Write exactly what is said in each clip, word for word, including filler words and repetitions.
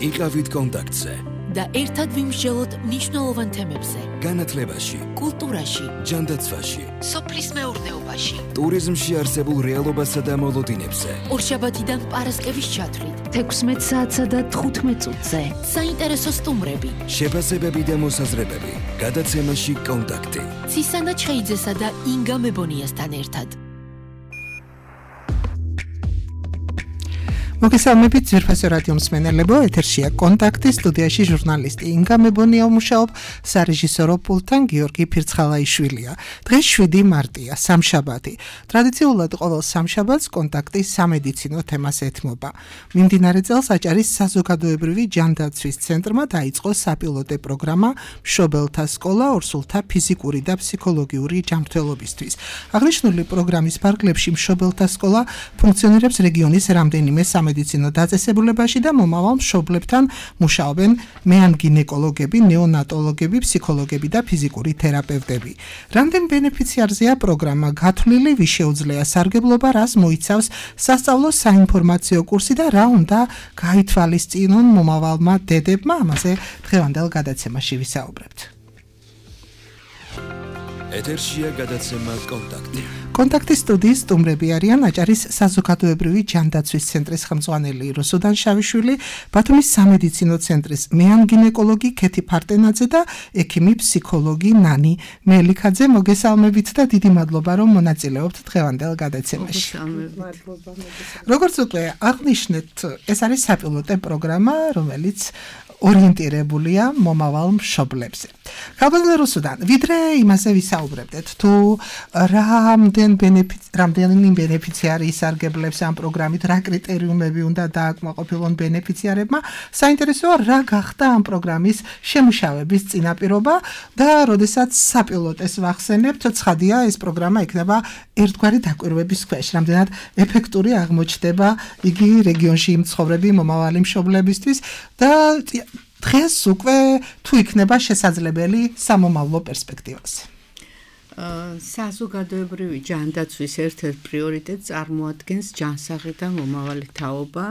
იყავით კონტაქტზე და ერთად ვიმსჯელოთ მნიშვნელოვან თემებზე. განათლებაში, კულტურაში, ჯანდაცვაში, სოფლის მეურნეობაში, ტურიზმში არსებულ რეალობასა და მოლოდინებზე. ორშაბათიდან პარასკევის ჩათვლით, თექვსმეტ საათსა და თხუთმეტ წუთზე. საინტერესო სტუმრები, შეფასებები და მოსაზრებები. გადაცემაში კონტაქტი. ცისანა ჩხეიძესა და ინგა მებონიასთან ერთად. მოგესალმებით ძვირფასო რადიო მსმენელებო, ეთერშია კონტაქტი, სტუდიაში ჟურნალისტი ინგა მებონია მუშაობ, სარეჟისორო პულტთან გიორგი ფირცხალაიშვილია. დღეს შვიდი მარტია, სამშაბათი. ტრადიციულად ყოველ სამშაბათს კონტაქტი სამედიცინო თემას ეთმობა. მიმდინარე წელს აჭარის საზოგადოებრივი ჯანდაცვის ცენტრმა დაიწყო საპილოტე პროგრამა მშობელთა სკოლა ორსულთა ფიზიკური და ფსიქოლოგიური ჯანმრთელობისთვის. აღნიშნული პროგრამის ფარგლებში მშობელთა სკოლა ფუნქციონირებს რეგიონის რამდენიმე სამედიცინო დაწესებულებაში და მომავალ მშობლებთან მუშაობენ მეანგინეკოლოგები, ნეონატოლოგები, ფსიქოლოგები და ფიზიკური თერაპევტები. რამდენ ბენეფიციარზეა პროგრამა გათვლილი, ვის შეუძლია სარგებლობა, რას მოიცავს სასწავლო საინფორმაციო კურსი და რა უნდა გაითვალისწინონ მომავალმა დედებმა, ამაზე დღევანდელ გადაცემაში ვისაუბრებთ. ეთერშია გადაცემა კონტაქტი. კონტაქტის სტუდიის სტუმრები არიან აჭარის საზოგადოებრივი ჯანდაცვის ცენტრის ხელმძღვანელი რუსუდან შავიშვილი, ბათუმის სამედიცინო ცენტრის მეანგინეკოლოგი ქეთი ფარტენაძე და ექიმი ფსიქოლოგი ნანი მელიქაძე. მოგესალმებით და დიდი მადლობა რომ მონაწილეობთ დღევანდელ გადაცემაში. როგორც უკვე აღნიშნეთ, ეს არის საპილოტე პროგრამა, რომელიც ორიენტირებულია მომავალ მშობლებზე. ხალხო რუსუდან, ვიდრე იმაზე ვისაუბრებდეთ, თუ რამდენ რამდენი ბენეფიციარი ისარგებლებს ამ პროგრამით, რა კრიტერიუმები უნდა დააკმაყოფილონ ბენეფიციარებმა, საინტერესოა რა გახდა ამ პროგრამის შემუშავების წინაპირობა და როდესაც საპილოტეს ვახსენებთ, ცხადია ეს პროგრამა იქნება ერთგვარი დაკვირვების ქვეშ, რამდენად ეფექტური აღმოჩნდება იგი რეგიონში მცხოვრები მომავალი მშობლებისთვის და დღეს უკვე თუ იქნება შესაძლებელი სამომავლო პერსპექტივაზე. საზოგადოებრივი ჯანდაცვის ერთ-ერთ პრიორიტეტს წარმოადგენს ჯანსაღი და მომავალი თაობა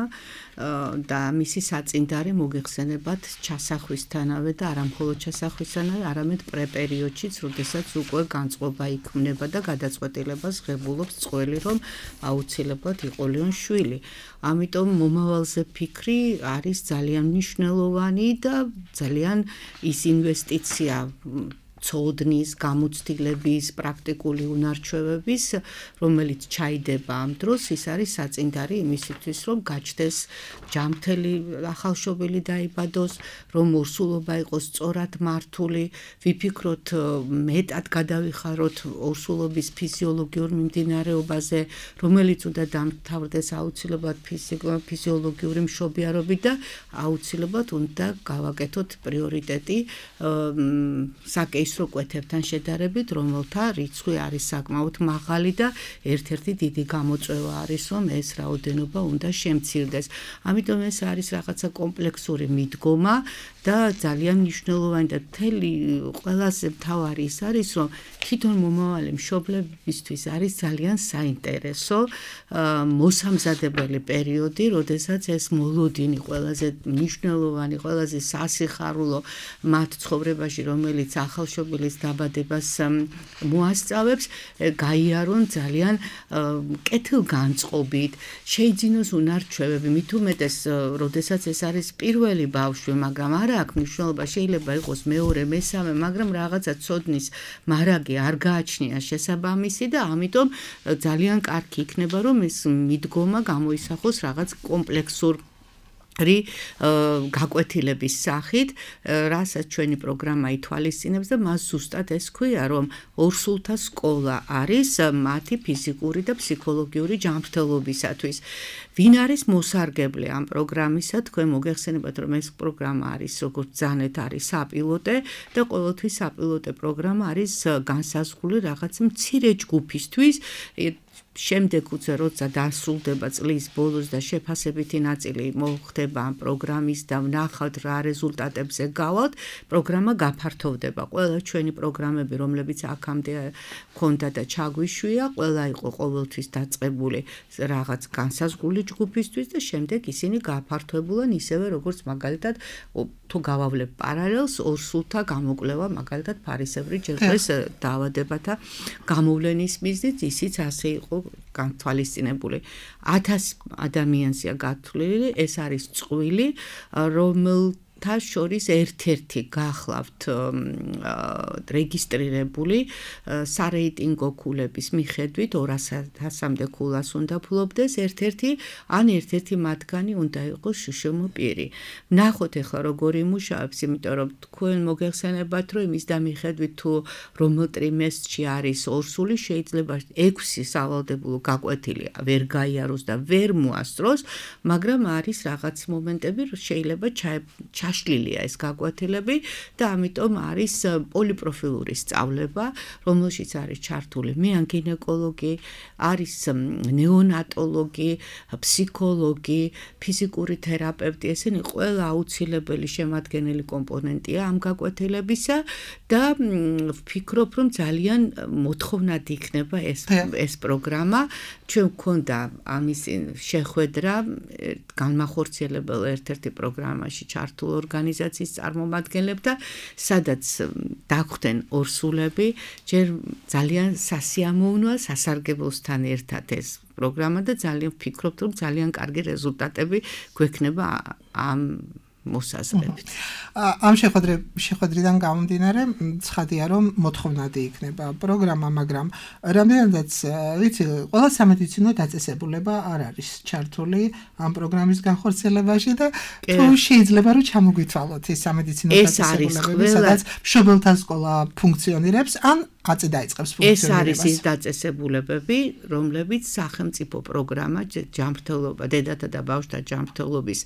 და მისი საწინდარი მოგეხსენებათ ჩასახვისთანავე და არა მხოლოდ ჩასახვისთანავე, არამედ პრეპერიოდშიც, როდესაც უკვე განწყობა იქმნება და გადაწყვეტილებას ღებულობს წყვილი, რომ აუცილებლად იყოლიონ შვილი. ამიტომ მომავალზე ფიქრი არის ძალიან მნიშვნელოვანი და ძალიან ის ინვესტიცია ცოდნის, გამოცდილების, პრაქტიკული უნარჩვევების, რომელიც ჩაიდება ამ დროს, ის არის საწინდარი იმისათვის, რომ გაჩნდეს ჯანმრთელი ახალშობილი დაიბადოს, რომ ორსულობა იყოს სწორად მართული, ვიფიქროთ მეტად გადავიხაროთ ორსულობის ფიზიოლოგიურ მიმდინარეობაზე, რომელიც უნდა დამთავრდეს აუცილებლად ფიზიოლოგიური მშობიარობით და აუცილებლად უნდა გავაკეთოთ პრიორიტეტი საკეისრო კვეთებთან შედარებით, რომელთა რიცხვი არის საკმაოდ მაღალი და ერთ-ერთი დიდი გამოწვევა არის, რომ ეს რაოდენობა უნდა შემცირდეს. ამიტომ ეს არის რაღაცა კომპლექსური მიდგომა და ძალიან მნიშვნელოვანი და მთელი ყველაზე მთავარი ის არის, რომ თვითონ მომავალი მშობლებისთვის არის ძალიან საინტერესო მოსამზადებელი პერიოდი, როდესაც ეს მოლოდინი ყველაზე მნიშვნელოვანი, ყველაზე სასიხარულო მათ ცხოვრებაში, რომელიც ახალშობილის დაბადებას მოასწავებს, გაიარონ ძალიან კეთილგანწყობით, შეიძინოს უნარჩვევები, მით უმეტეს, როდესაც ეს არის პირველი ბავშვი, მაგრამ არა აქვს მნიშვნელობა, შეიძლება იყოს მეორე, მესამე, მაგრამ რაღაცა ცოდნის მარაგი არ გააჩნია შესაბამისი და ამიტომ ძალიან კარგი იქნება, რომ ეს მიდგომა გამოისახოს რაღაც კომპლექსურ რი გაკვეთილების სახით, რასაც ჩვენი პროგრამა ითვალისწინებს და მას ზუსტად ეს ქვია, რომ ორსულთა სკოლა არის მათი ფიზიკური და ფსიქოლოგიური ჯანმრთელობისათვის. ვინ არის მოსარგებლე ამ პროგრამისა? თქვენ მოგეხსენებათ, რომ ეს პროგრამა არის, როგორც ძანეთ არის საპილოტე და ყოველთვის საპილოტე პროგრამა არის განსაზღვრული რაღაც მცირე ჯგუფისთვის შემდეგ უცე როცა დასრულდება წლის ბოლოს და შეფასებითი ნაწილი მოხდება ამ პროგრამის და ვნახავთ რა რეზულტატებზე გავალთ, პროგრამა გაფართოვდება. ყველა ჩვენი პროგრამები, რომლებიც აქამდე ქონდა და ჩაგვიშვია, ყველა იყო ყოველთვის დაწყებული რაღაც განსაზღვრული ჯგუფისთვის და შემდეგ ისინი გაფართოვებულან ისევე როგორც მაგალითად თუ გავავლებ პარალელს ორ სულთა გამოკვლევა მაგალითად ფარისებრი ჯერხეს დაავადებათა გამოვლენის მიზნით ისიც ასე იყო განთვალისწინებული. ათას ადამიანზეა გათვლილი, ეს არის წყვილი, რომელთა შორის ერთ-ერთი გახლავთ რეგისტრირებული სარეიტინგო ქულების მიხედვით ორასამდე ქულას უნდა ფლობდეს ერთ-ერთი, ან ერთ-ერთი მათგანი უნდა იყოს შშმ პირი. ნახოთ ახლა როგორ იმუშავებს, იმიტომ რომ თქვენ მოგეხსენებათ, რომ იმის და მიხედვით თუ რომელ ტრიმესტრში არის ორსული, შეიძლება ექვსი სავალდებულო გაკვეთილი ვერ გაიაროს და ვერ მოასწროს, მაგრამ არის რაღაც მომენტები, შეიძლება ჩაშლილია ეს გაკვეთილები და ამიტომ არის პოლიპროფილური სწავლება, რომელშიც არის ჩართული მეანგინეკოლოგი, არის ნეონატოლოგი, ფსიქოლოგი, ფიზიკური თერაპევტი, ესენი ყველა აუცილებელი შემადგენელი კომპონენტია ამ გაკვეთილებისა და ვფიქრობ, რომ ძალიან მოთხოვნად იქნება ეს ეს პროგრამა. ჩვენ გვქონდა ამის შეხვედრა განმახორციელებელ ერთ-ერთი პროგრამაში ჩართულ ორგანიზაციის წარმომადგენლებთან, სადაც დაგვხდნენ ორსულები, ჯერ ძალიან სასიამოვნოა სასარგებლოსთან ერთად ეს პროგრამა და ძალიან ვფიქრობთ, რომ ძალიან კარგი რეზულტატები გვექნება ამ მოსაზრებით. ამ შეხვედრიდან გამომდინარე, ცხადია, რომ მოთხოვნადი იქნება პროგრამა, მაგრამ რამდენადაც ვიცი, ყველა სამედიცინო დაწესებულება არ არის ჩართული ამ პროგრამის განხორციელებაში და თუ შეიძლება რომ ჩამოგვითვალოთ ეს სამედიცინო დაწესებულებები, სადაც მშობელთა სკოლა ფუნქციონირებს, ან აწი დაიწყებს ფუნქციონირებას. ეს არის ის დაწესებულებები, რომლებიც სახელმწიფო პროგრამა ჯანმრთელობა, დედათა და ბავშვთა ჯანმრთელობის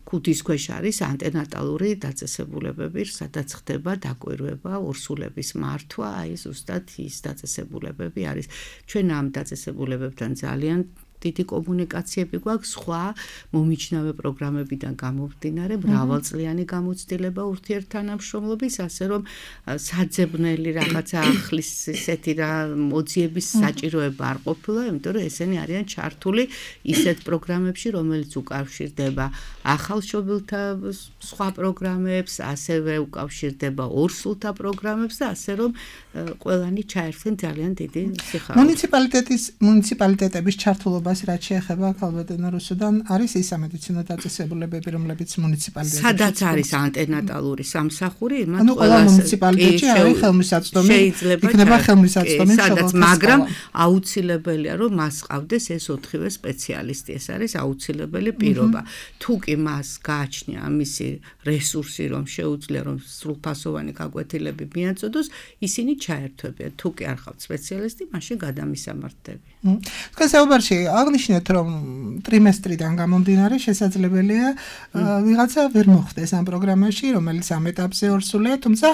ქუდის ქვეშ არის ანტენატალური დაწესებულებები, სადაც ხდება დაკვირვება, ორსულების მართვა, აი ზუსტად ის დაწესებულებები არის. ჩვენ ამ დაწესებულებებთან ძალიან დიდი კომუნიკაციები გვაქვს, სხვა მომიჯნავე პროგრამებიდან გამომდინარე, მრავალწლიანი გამოცდილება ურთიერთთანამშრომლობის, ასე რომ საძებნელი რაღაცა ახლის ესეთი რა მოძიების საჭიროება არ ყოფილა, იმიტომ რომ ესენი არიან ჩართული ისეთ პროგრამებში, რომელიც უკავშირდება ახალშობილთა სხვა პროგრამებს, ასევე უკავშირდება ორსულთა პროგრამებს და ასე რომ ყველანი ჩაერთვენ ძალიან დიდი სიხარულით. მუნიციპალიტეტის მუნიციპალიტეტების ჩართულობა რაც შეეხება ქალბატონო რუსუდან არის ის სამედიცინო დაწესებულებები, რომლებიც მუნიციპალიტეტებში სადაც არის ანტენატალური სამსახური, იმათ ანუ ყველა მუნიციპალიტეტში არის ხელმისაწვდომი, იქნება ხელმისაწვდომი სადაც, მაგრამ აუცილებელია, რომ მას ყავდეს ეს ოთხივე სპეციალისტი, ეს არის აუცილებელი პირობა. თუ კი მას გააჩნია ამისი რესურსი, რომ შეუძლია რომ სრულფასოვანი გაკვეთილები მიაწოდოს, ისინი ჩაერთვებიან. თუ კი არ ყავთ სპეციალისტი, მაშინ გადამისამართები. თქვენ საუბარში აღნიშნეთ, რომ ტრიმესტრიდან გამომდინარე შესაძლებელია ვიღაცა ვერ მოხვდეს ამ პროგრამაში, რომელიც ამ ეტაპზე ორსულია, თუმცა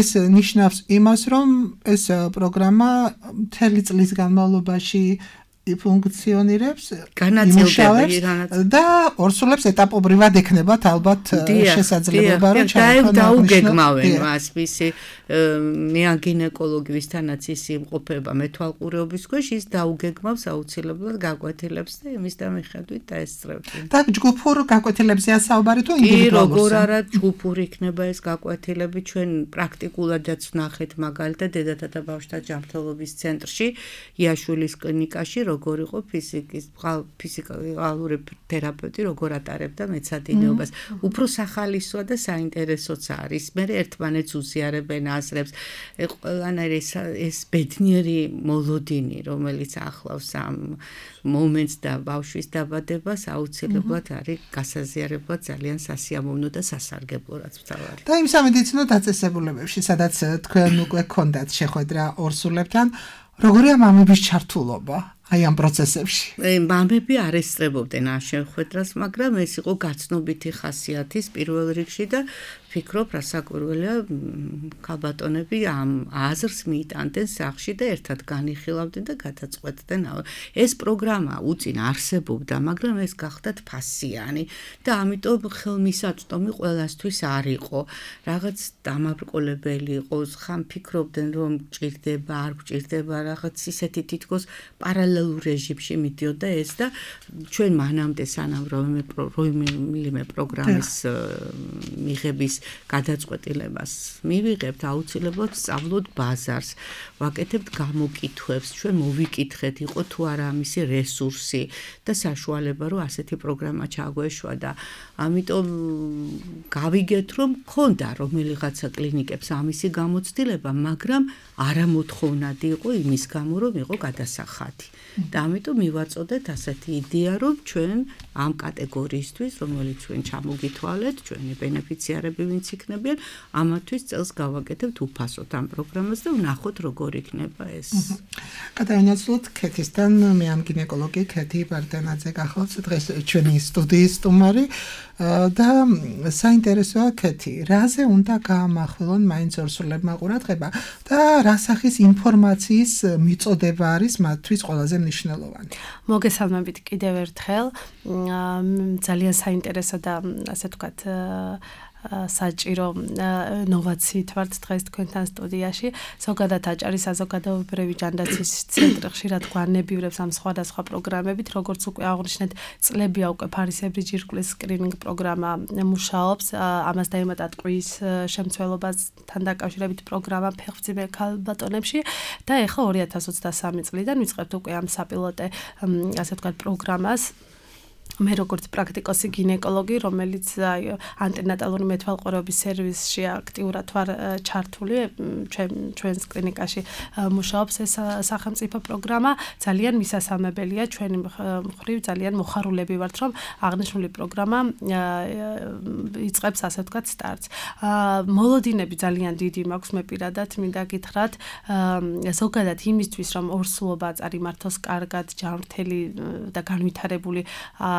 ეს ნიშნავს იმას, რომ ეს პროგრამა მთელი წლის განმავლობაში ფუნქციონირებს, განაწილდები და ორსულებს ეტაპობრივად ექნებათ ალბათ შესაძლებლობა, რომ ჩაერთონ დაუგეგმავენ მას მისი მეანგინეკოლოგი, ვისთანაც ის იმყოფება მეთვალყურეობის ქვეშ, ის დაუგეგმავს აუცილებლად გაკვეთილებს და იმის და მიხედვით დაესწრებიან. და ჯგუფურ გაკვეთილებზეა საუბარი თუ ინდივიდუალურზე? კი, როგორ არა ჯგუფური იქნება ეს გაკვეთილები, ჩვენ პრაქტიკულადაც ვნახეთ მაგალითად დედათა და ბავშვთა ჯანმრთელობის ცენტრში, იაშვილის კლინიკაში, როგორ იყო ფიზიკის, ფიზიკალური თერაპევტი, როგორ ატარებდა მეცადინეობას. უფრო სახალისოა და საინტერესოც არის. მე ერთმანეთს უზიარებენ აზრებს. ყველანაირი ეს ბედნიერი მოლოდინი, რომელიც ახლავს ამ მომენტს და ბავშვის დაბადებას, აუცილებლად არის გასაზიარებლად ძალიან სასიამოვნო და სასარგებლო რაც ვთავარი. და იმ სამედიცინო დაწესებულებებში, სადაც თქვენ უკვე გქონდათ შეხვედრა ორსულებთან, როგორია მამების ჩართულობა? აი ამ პროცესებში. მამები არ ესწრებოდნენ ამ შეხვედრას, მაგრამ ეს იყო გაცნობიტი ხასიათის პირველ რიგში და ფიქრობ, რასაკვირველია, ქალბატონები ამ აზრს მიიტანდნენ სახლში და ერთად განიხილავდნენ და გადაწყვეტდნენ. ეს პროგრამა უწინ არსებობდა, მაგრამ ეს გახდათ ფასიანი და ამიტომ ხელმისაწვდომი ყველასთვის არ იყო. რაღაც დამაბრკოლებელი იყოს, ხან ფიქრობდნენ, რომ გჭირდება, არ გჭირდება, რაღაც ისეთი თითქოს პარალელურ რეჟიმში მიდიოდა ეს და ჩვენ მანამდე სანამ რომელიმე პროგრამის მიღების გადაწყვეტილებას მივიღებთ, აუცილებლად სწავლოთ ბაზარს, ვაკეთებთ გამოკითხვებს, ჩვენ მოვიკითხეთ, იყო თუ არა ამისი რესურსი და საშუალება, რომ ასეთი პროგრამა ჩაგვეშვა და ამიტომ გავიგეთ, რომ ქონდა რომელიღაცა კლინიკებს ამისი გამოცდილება, მაგრამ არამოთხოვნადი იყო იმის გამო, რომ იყო გადასახადი. და ამიტომ მივაწოდეთ ასეთი იდეა, რომ ჩვენ ამ კატეგორიისთვის, რომელიც ჩვენ ჩამოგითვალეთ, ჩვენი ბენეფიციარები ვინც იქნებიან, ამათთვის წელს გავაკეთებთ უფასოდ ამ პროგრამას და ვნახოთ როგორ იქნება ეს. გადავინაცვლოთ ქეთისთან, მე ამ გინეკოლოგი ქეთი პარტენაძე გახლავთ დღეს ჩვენი სტუდიის სტუმარი და საინტერესოა ქეთი, რაზე უნდა გაამახვილონ მაინც ორსულებმა ყურადღება და რა სახის ინფორმაციის მიწოდება არის მათთვის ყველაზე მნიშვნელოვანი. მოგესალმებით კიდევ ერთხელ, ძალიან საინტერესო და ასე ვთქვათ საჭირო ნოვაციით ვართ დღეს თქვენთან სტუდიაში. ზოგადად აჭარის საზოგადოებრივი ჯანდაცვის ცენტრი ხშირად გვანებივრებს ამ სხვადასხვა პროგრამებით, როგორც უკვე აღნიშნეთ, წლებია უკვე ფარისებრი ჯირკვლის სკრინინგ პროგრამა მუშაობს. ამას დაემატა ტყვიის შემცველობასთან დაკავშირებით პროგრამა ფეხმძიმე ქალბატონებში და ეხლა ორი ათას ოცდასამი წლიდან ვიწყებთ უკვე ამ საპილოტე ასე ვთქვათ პროგრამას. მე როგორც პრაქტიკოსი გინეკოლოგი, რომელიც ანტენატალური მეთვალყურეობის სერვისში აქტიურად ვარ ჩართული, ჩვენს კლინიკაში მუშაობს ეს სახელმწიფო პროგრამა, ძალიან მისასალმებელია, ჩვენი მხრივ ძალიან მოხარულები ვართ, რომ აღნიშნული პროგრამა იწყებს ასე ვთქვათ სტარტს. მოლოდინები ძალიან დიდი მაქვს, მე პირადად მინდა გითხრათ, ზოგადად იმისთვის, რომ ორსულობა წარიმართოს კარგად, ჯანმრთელი და განვითარებული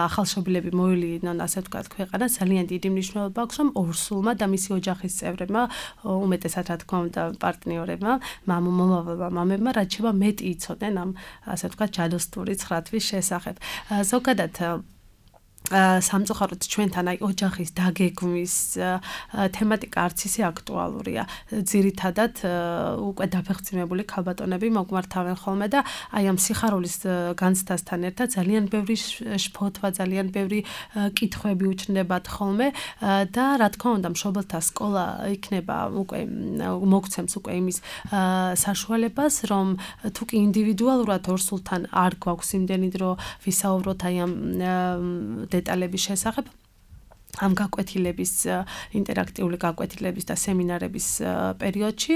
ახალშობილები მოილინონ, ასე ვთქვათ, ქვეყანა, ძალიან დიდი მნიშვნელობა აქვს, რომ ორსულმა და მისი ოჯახის წევრებმა, უმეტესად რა თქმა უნდა, პარტნიორებმა, მომავალმა მამებმა, რაც შევა მეტი იცოდნენ ამ, ასე ვთქვათ, ჯადოსნური ცხრათვის შესახებ. ზოგადად სამწუხაროდ ჩვენთან აი ოჯახის დაგეგმვის თემატიკა არც ისე აქტუალურია. ძირითადად უკვე დაფეხმძიმებული ქალბატონები მოგმართავენ ხოლმე და აი ამ სიხარულის განცდასთან ერთად ძალიან ბევრი შფოთვა, ძალიან ბევრი კითხვები უჩნდებათ ხოლმე და რა თქმა უნდა მშობელთა სკოლა იქნება უკვე მოგცემს უკვე იმის საშუალებას, რომ თუ კი ინდივიდუალურად ორსულთან არ გვაქვს იმდენი დრო ვისაუბროთ აი ამ დეტალების შესახებ. ამ გაკვეთილების ინტერაქტიული გაკვეთილების და სემინარების პერიოდში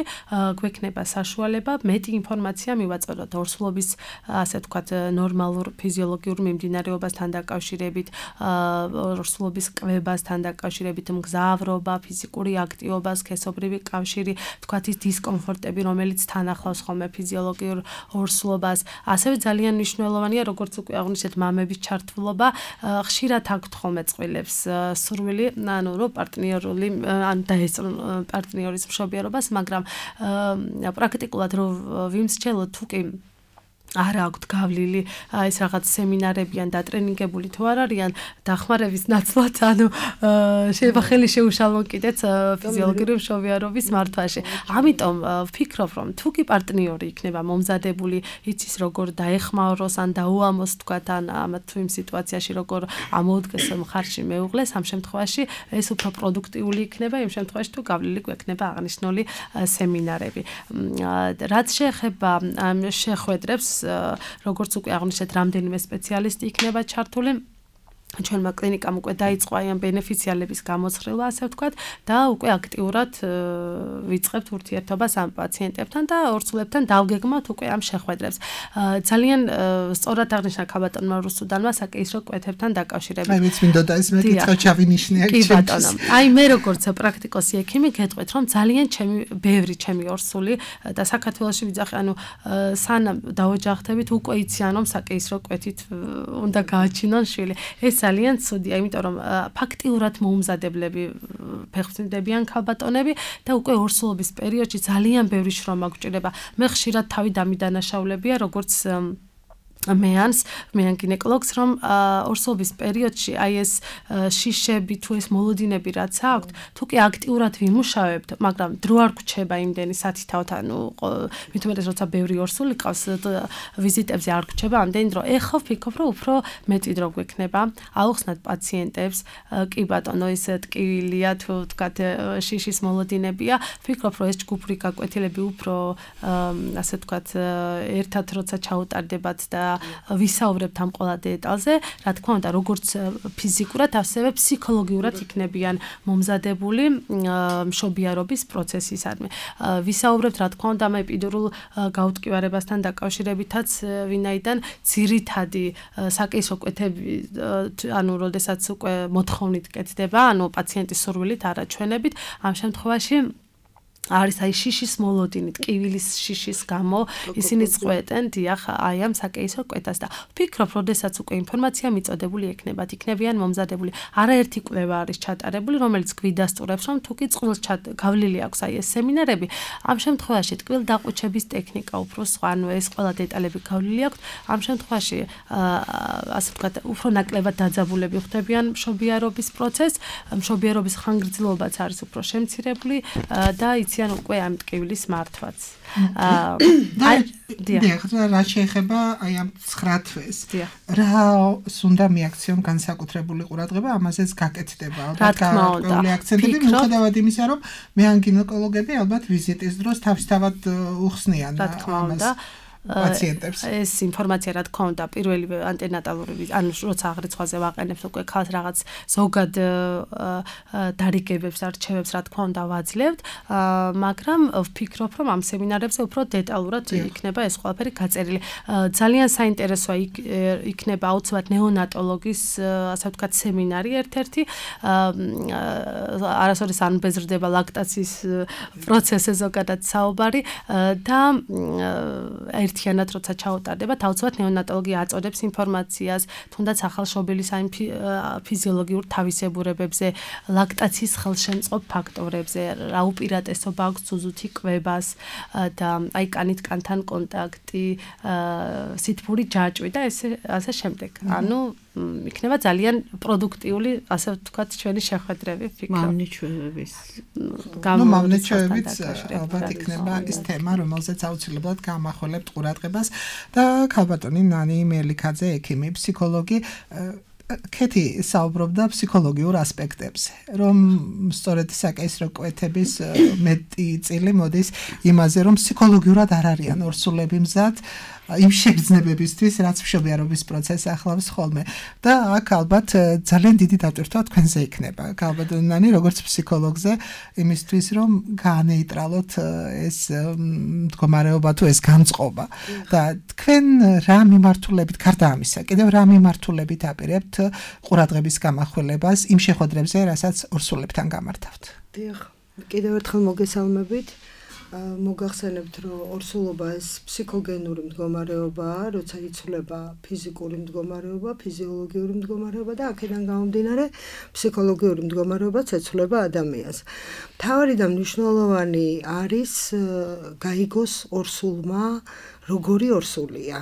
გვექნება საშუალება მეტი ინფორმაცია მივაწოდოთ ორსულობის ასე ვთქვათ ნორმალურ ფიზიოლოგიურ მიმდინარეობასთან დაკავშირებით, ორსულობის კვებასთან დაკავშირებით, მგზავრობა, ფიზიკური აქტივობა, სქესობრივი კავშირი, ვთქვათ ის დისკომფორტები, რომელიც თან ახლავს ხოლმე ფიზიოლოგიურ ორსულობას. ასევე ძალიან მნიშვნელოვანია, როგორც უკვე აღნიშნეთ, მამების ჩართულობა, ხშირად აქვთ ხოლმე წყვილებს სურვილი, ანუ რო პარტნიორული ან დაესწრონ პარტნიორის მშობიარობას, მაგრამ პრაქტიკულად რო ვიმსჯელოთ თუ კი არ აქვთ გავლილი ეს რაღაც სემინარები ან დატრენინგებული თუ არ არიან დახმარების ნაცვლად, ანუ შეიძლება ხელი შეუშალონ კიდეც ფიზიოლოგიური მშობიარობის მართვაში. ამიტომ ვფიქრობ, რომ თუ კი პარტნიორი იქნება მომზადებული, იცის როგორ დაეხმაროს ან დაუამოს თქვათ ან ამათ თუ იმ სიტუაციაში როგორ ამოუდგეს მხარში მეუღლეს, ამ შემთხვევაში ეს უფრო პროდუქტიული იქნება, იმ შემთხვევაში თუ გავლილი გვექნება აღნიშნული სემინარები. რაც შეეხება ამ შეხვედრებს, როგორც უკვე აღნიშნეთ, რამდენიმე სპეციალისტი იქნება ჩართული. ჩვენმა კლინიკამ უკვე დაიწყო აი ამ ბენეფიციარების გამოცხრილვა, ასე ვთქვათ, და უკვე აქტიურად ვიწყებთ ურთიერთობას ამ პაციენტებთან და ორსულებთან დავგეგმოთ უკვე ამ შეხვედრებს. ძალიან სწორად აღნიშნა ქალბატონმა რუსუდანმა საკეისრო კვეთებთან დაკავშირებით. აი, მეც მინდოდა ეს მეკითხა ჩავინიშნე აქ. კი ბატონო. აი მე როგორც პრაქტიკოსი ექიმი გეტყვით, რომ ძალიან ჩემი ბევრი ჩემი ორსული და საქართველოში ვიძახი, ანუ სანამ დაოჯახდებით უკვე იციან რომ საკეისრო კვეთით უნდა გააჩინონ შვილი. ეს ძალიან ცუდია, იმიტომ რომ ფაქტიურად მოუმზადებლები ფეხმძიმდებიან ქალბატონები და უკვე ორსულობის პერიოდში ძალიან ბევრი შრომა გვჭირდება. მე ხშირად თავი დამიდანაშაულებია, როგორც მეანს, მეან გინეკოლოგს, რომ ორსულობის პერიოდში აი ეს შიშები თუ ეს მოლოდინები რაც აქვთ, თუ კი აქტიურად ვიმუშავებთ, მაგრამ დრო არ გვჩება იმდენი სათითაოდ, ანუ მით უმეტეს როცა ბევრი ორსული ყავს, ვიზიტებზე არ გვჩება ამდენი დრო. ეხლა ვფიქრობ, რომ უფრო მეტი დრო გვექნება, აუხსნათ პაციენტებს, კი ბატონო, ეს ტკივილია თუ ვთქვათ შიშის მოლოდინებია, ვფიქრობ, რომ ეს ჯგუფური გაკვეთილები უფრო ასე ვთქვათ ერთად როცა ჩაუტარდებათ და ვისაუბრებთ ამ ყველა დეტალზე, რა თქმა უნდა, როგორც ფიზიკურად, ასევე ფსიქოლოგიურად იქნებიან მომზადებული მშობიარობის პროცესისადმი. ვისაუბრებთ, რა თქმა უნდა, ამ ეპიდურულ გაუტკივარებასთან დაკავშირებითაც, ვინაიდან ძირითადი საკეისრო კვეთები, ანუ როდესაც უკვე მოთხოვნით კეთდება, ანუ პაციენტის სურვილით, არა ჩვენებით, ამ შემთხვევაში არის აი შიშის მოლოდინი, ტკივილის შიშის გამო ისინი წყვეტენ დიახ აი ამ საკეისრო კვეთას და ვფიქრობ, როდესაც უკვე ინფორმაცია მიწოდებული ექნებათ, იქნებიან მომზადებული. არაერთი კვლევა არის ჩატარებული, რომელიც გვიდასტურებს, რომ თუ კი წყვილს გავლილი აქვს აი ეს სემინარები, ამ შემთხვევაში ტკვილ დაყუჩების ტექნიკა უფრო სხვა, ანუ ეს ყველა დეტალები გავლილი აქვს. ამ შემთხვევაში ასე ვთქვათ, უფრო ნაკლებად დაძაბულები ხდებიან მშობიარობის პროცესს, მშობიარობის ხანგრძლივობაც არის უფრო შემცირებული და იციან უკვე ამ ტკივილის მართვაც. დიახ, რა შეეხება აი ამ ცხრა თვეს. რა უნდა მიაქციონ განსაკუთრებული ყურადღება, ამაზეც გაკეთდება. რა თქმა უნდა. აქცენტები მიუხედავად იმისა, რომ მე ან გინეკოლოგები ალბათ ვიზიტის დროს თავისთავად უხსნიან ამას. პაციენტებს. ეს ინფორმაცია რა თქმა უნდა პირველი ანტენატალური, ანუ როცა აღრიცხვაზე ვაყენებთ უკვე ხალხს რაღაც ზოგად დარიგებებს, არჩევებს რა თქმა უნდა ვაძლევთ, მაგრამ ვფიქრობ, რომ ამ სემინარებზე უფრო დეტალურად იქნება ეს ყველაფერი გაწერილი. ძალიან საინტერესოა იქნება აუცილებლად ნეონატოლოგის, ასე ვთქვათ, სემინარი ერთ-ერთი. არასოდეს არ მბეზრდება ლაქტაციის პროცესზე ზოგადად საუბარი და ერთიანად როცა ჩაუტარდება, თავისუფლად ნეონატოლოგია აწოდებს ინფორმაციას, თუნდაც ახალშობილის აი ფიზიოლოგიურ თავისებურებებზე, ლაქტაციის ხელშემწყობ ფაქტორებზე, რა უპირატესობა აქვს ზუზუთი კვებას და აი კანით კანთან კონტაქტი, სითბური ჯაჭვი და ესე ასე შემდეგ. ანუ იქნება ძალიან პროდუქტიული, ასე ვთქვათ, ჩვენი შეხვედრები, ვფიქრობ. მავნიჩვევების. ნუ მავნიჩვევებიც ალბათ იქნება ის თემა, რომელზეც აუცილებლად გამახველებთ ყურადღებას და ქალბატონი ნანი მელიქაძე, ექიმი, ფსიქოლოგი კეთი საუბრობდა ფსიქოლოგიურ ასპექტებზე, რომ სწორედ საკეისრო კვეთების მეტი წილი მოდის იმაზე, რომ ფსიქოლოგიურად არ არიან ორსულები მზად იმ შეგრძნებებისთვის, რაც მშობიარობის პროცესს ახლავს ხოლმე. და აქ ალბათ ძალიან დიდი დატვირთვა თქვენზე იქნება. ქალბატონი, როგორც ფსიქოლოგზე, იმისთვის, რომ გაანეიტრალოთ ეს მდგომარეობა თუ ეს გამწყობა. და თქვენ რა მიმართულებით, გარდა ამისა, კიდევ რა მიმართულებით აპირებთ ყურადღების გამახვილებას იმ შეხვედრებზე, რასაც ორსულებთან გამართავთ? დიახ, კიდევ ერთხელ მოგესალმებით. მოგახსენებთ, რომ ორსულობა ეს ფსიქოგენური მდგომარეობაა, როცა იცვლება ფიზიკური მდგომარეობა, ფიზიოლოგიური მდგომარეობა და აქედან გამომდინარე ფსიქოლოგიური მდგომარეობაც ეცვლება ადამიანს. მთავარი და მნიშვნელოვანი არის გაიგოს ორსულმა როგორი ორსულია.